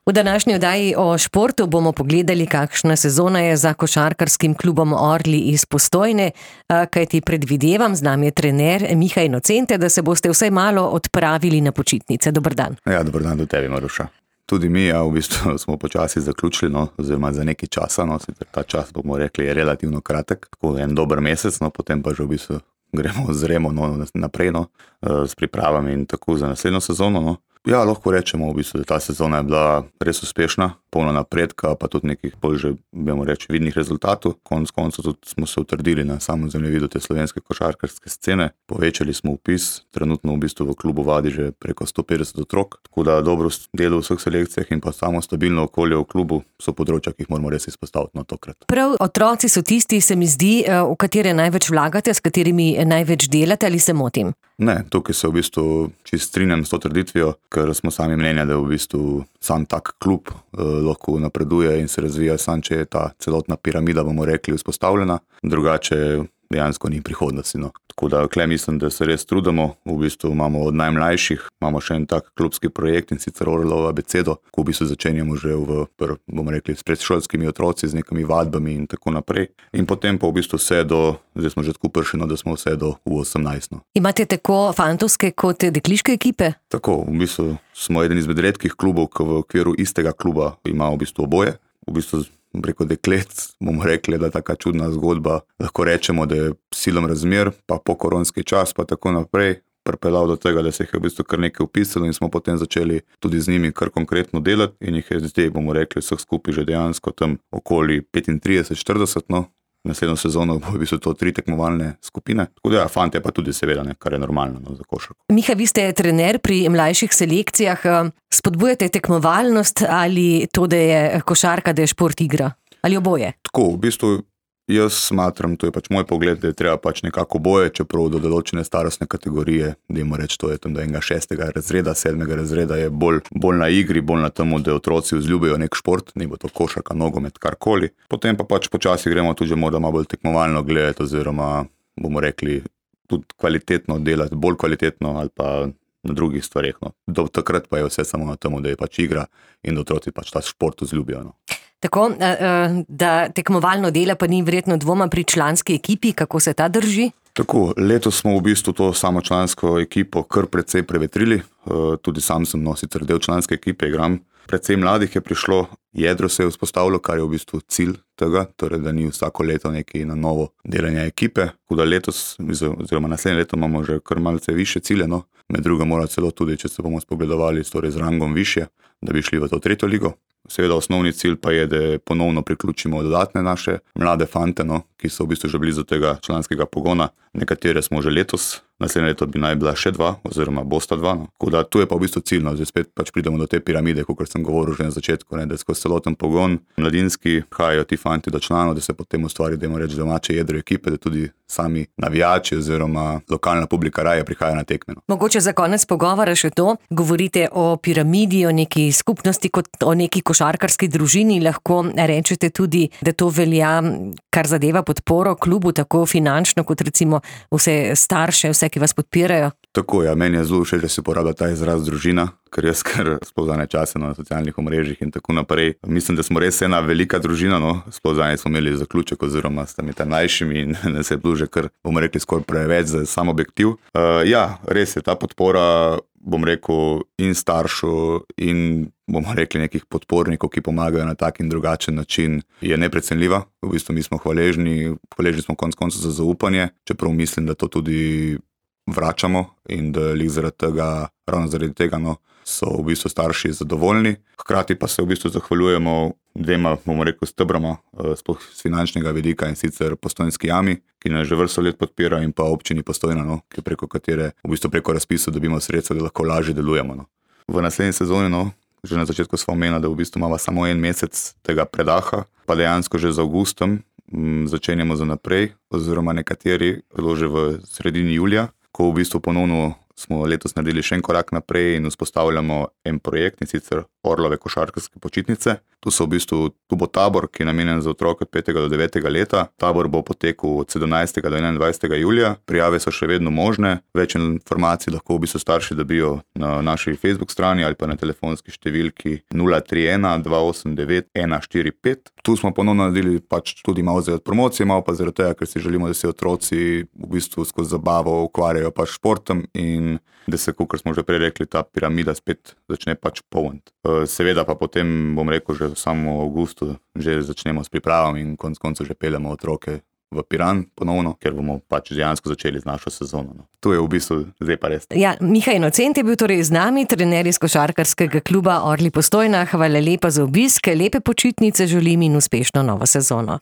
V današnji oddaji o športu bomo pogledali, kakšna sezona je za košarkarskim klubom Orli iz Postojne, kajti predvidevam, z nami je trener Miha Inocente, da se boste vsaj malo odpravili na počitnice. Dober dan. Ja, dober dan do tebi, Maruša. Tudi mi, v bistvu smo počasi zaključili, oziroma za nekaj časa, ta čas, bomo rekli, je relativno kratek, tako en dober mesec, potem pa že v bistvu zremo naprej, s pripravami in tako za naslednjo sezono. Ja, lahko rečemo v bistvu, da ta sezona je bila res uspešna, polno napredka, pa tudi nekih bolj že, bomo reči, vidnih rezultatov. Konec koncev tudi smo se utrdili na samem zemljevidu te slovenske košarkarske scene. Povečali smo vpis, trenutno v bistvu v klubu vadi že preko 150 otrok, tako da dobro delo v vseh selekcijah in pa samo stabilno okolje v klubu so področja, ki jih moramo res izpostaviti tokrat. Prav otroci so tisti, se mi zdi, v katere največ vlagate, s katerimi največ delate, ali se motim? Ne, tukaj se v bistvu čisto strinjam s to trditvijo, ker smo sami mnenja, da v bistvu sam tak klub lahko napreduje in se razvija sam, če je ta celotna piramida, bomo rekli, vzpostavljena, drugače dejansko ni prihodnosti. Tako da tukaj mislim, da se res trudimo, v bistvu imamo od najmlajših, imamo še en tak klubski projekt in sicer Orlova abecedo, ko v bistvu začenjamo že bomo rekli, s predšolskimi otroci, z nekimi vadbami in tako naprej. In potem pa v bistvu vse do, zdaj smo že tako prišli, da smo vse do U18. Imate tako fantovske kot dekliške ekipe? Tako, v bistvu smo eden izmed redkih klubov, ki v okviru istega kluba ima v bistvu oboje. V bistvu preko deklet, bomo rekli, da je taka čudna zgodba. Lahko rečemo, da je silom razmer, pa po koronski čas, pa tako naprej, pripeljal do tega, da se jih je v bistvu kar nekaj vpisalo in smo potem začeli tudi z njimi kar konkretno delati in jih je zdaj, bomo rekli, vseh skupaj že dejansko tam okoli 35-40, Naslednjo sezono bo v bistvu to 3 tekmovalne skupine. Tako da fantje pa tudi seveda, kar je normalno za košarko. Miha, vi ste trener pri mlajših selekcijah. Spodbujate tekmovalnost ali to, da je košarka, da je šport igra? Ali oboje? Tako, v bistvu jaz smatram, to je pač moj pogled, da je treba pač nekako oboje, čeprav do določene starostne kategorije, dajmo reči, to je tam do enega 6. razreda, 7. razreda je bolj na igri, bolj na temu, da otroci vzljubijo nek šport, ne bo to košarka, nogomet, karkoli. Potem pa pač počasi gremo tudi morda malo bolj tekmovalno gledati oziroma, bomo rekli, tudi kvalitetno delati, bolj kvalitetno ali pa na drugih stvareh. Do takrat pa je vse samo na temu, da je pač igra in da otroci pač ta šport vzljubijo. Tako, da tekmovalno dela pa ni verjetno dvoma pri članski ekipi, kako se ta drži? Tako, letos smo v bistvu to samo člansko ekipo kar precej prevetrili, tudi sam sem sicer del članske ekipe, igram. Precej mladih je prišlo, jedro se je vzpostavilo, kar je v bistvu cilj tega, torej da ni vsako leto nekaj na novo delanje ekipe. Tako da letos, oziroma naslednje leto imamo že kar malce više cilje, med drugim mora celo tudi, če se bomo spogledovali torej z rangom višje, da bi šli v to 3. ligo. Seveda osnovni cilj pa je, da ponovno priključimo dodatne naše mlade fante, ki so v bistvu že blizu tega članskega pogona. Nekatere smo že letos, naslednje leto bi naj bila še 2 oziroma bosta 2. Tako da tu je pa v bistvu ciljno, zdaj spet pač pridemo do te piramide, kot sem govoril že na začetku, da skozi celoten pogon mladinski hajajo ti fanti do članov, da se potem ustvari, dajmo reči, domače jedro ekipe, da tudi sami navijači oziroma lokalna publika raje prihaja na tekme. Mogoče za konec pogovora še to, govorite o piramidi, o neki skupnosti kot o neki košarkarski družini, lahko rečete tudi, da to velja, kar zadeva podporo klubu, tako finančno kot recimo vse starše, vse, ki vas podpirajo? Tako, meni je zelo všeč, da se uporablja ta izraz družina, ker jaz sploh zadnje čase na socialnih omrežjih in tako naprej. Mislim, da smo res ena velika družina, sploh zadnje smo imeli zaključek oziroma s temi najmlajšimi in se je bilo že kar, bomo rekli, skoraj preveč za sam objektiv. Res je, ta podpora, bom rekel, in staršev in bomo rekli nekih podpornikov, ki pomagajo na tak in drugačen način, je neprecenljiva. V bistvu mi smo hvaležni smo konec koncev za zaupanje, čeprav mislim, da to tudi vračamo in da ravno zaradi tega so v bistvu starši zadovoljni. Hkrati pa se v bistvu zahvaljujemo 2, bomo rekel, stebrama sploh z finančnega vidika, in sicer Postojnski jami, ki nas že vrsto let podpira, in pa občini Postojna, ki preko katere v bistvu preko razpisov dobimo sredstva, da lahko lažje delujemo. V naslednji sezoni, že na začetku smo omenili, da v bistvu imamo samo en mesec tega predaha, pa dejansko že z avgustom začenjamo za naprej, oziroma nekateri celo že v sredini julija, ko v bistvu ponovno smo letos naredili še en korak naprej in vzpostavljamo en projekt, in sicer Orlove košarkarske počitnice. Tu bo tabor, ki je namenjen za otroke od 5. do 9. leta. Tabor bo potekal od 17. do 21. julija. Prijave so še vedno možne. Več informacij lahko v bistvu starši dobijo na naši Facebook strani ali pa na telefonski številki 031 289 145. Tu smo ponovno naredili pač tudi malo za promocije, malo pa zaradi tega, ker si želimo, da se otroci v bistvu skozi zabavo ukvarjajo pač športom in da se, kot smo že prej rekli, ta piramida spet začne pač polniti. Seveda pa potem, bom rekel, že v samem avgustu že začnemo s pripravami in konec koncev že peljemo otroke v Piran ponovno, ker bomo pač dejansko začeli z našo sezono. To je v bistvu zdaj pa res. Ja, Miha Inocent je bil torej z nami, trener iz košarkarskega kluba Orli Postojna. Hvala lepa za obisk, lepe počitnice želim in uspešno novo sezono.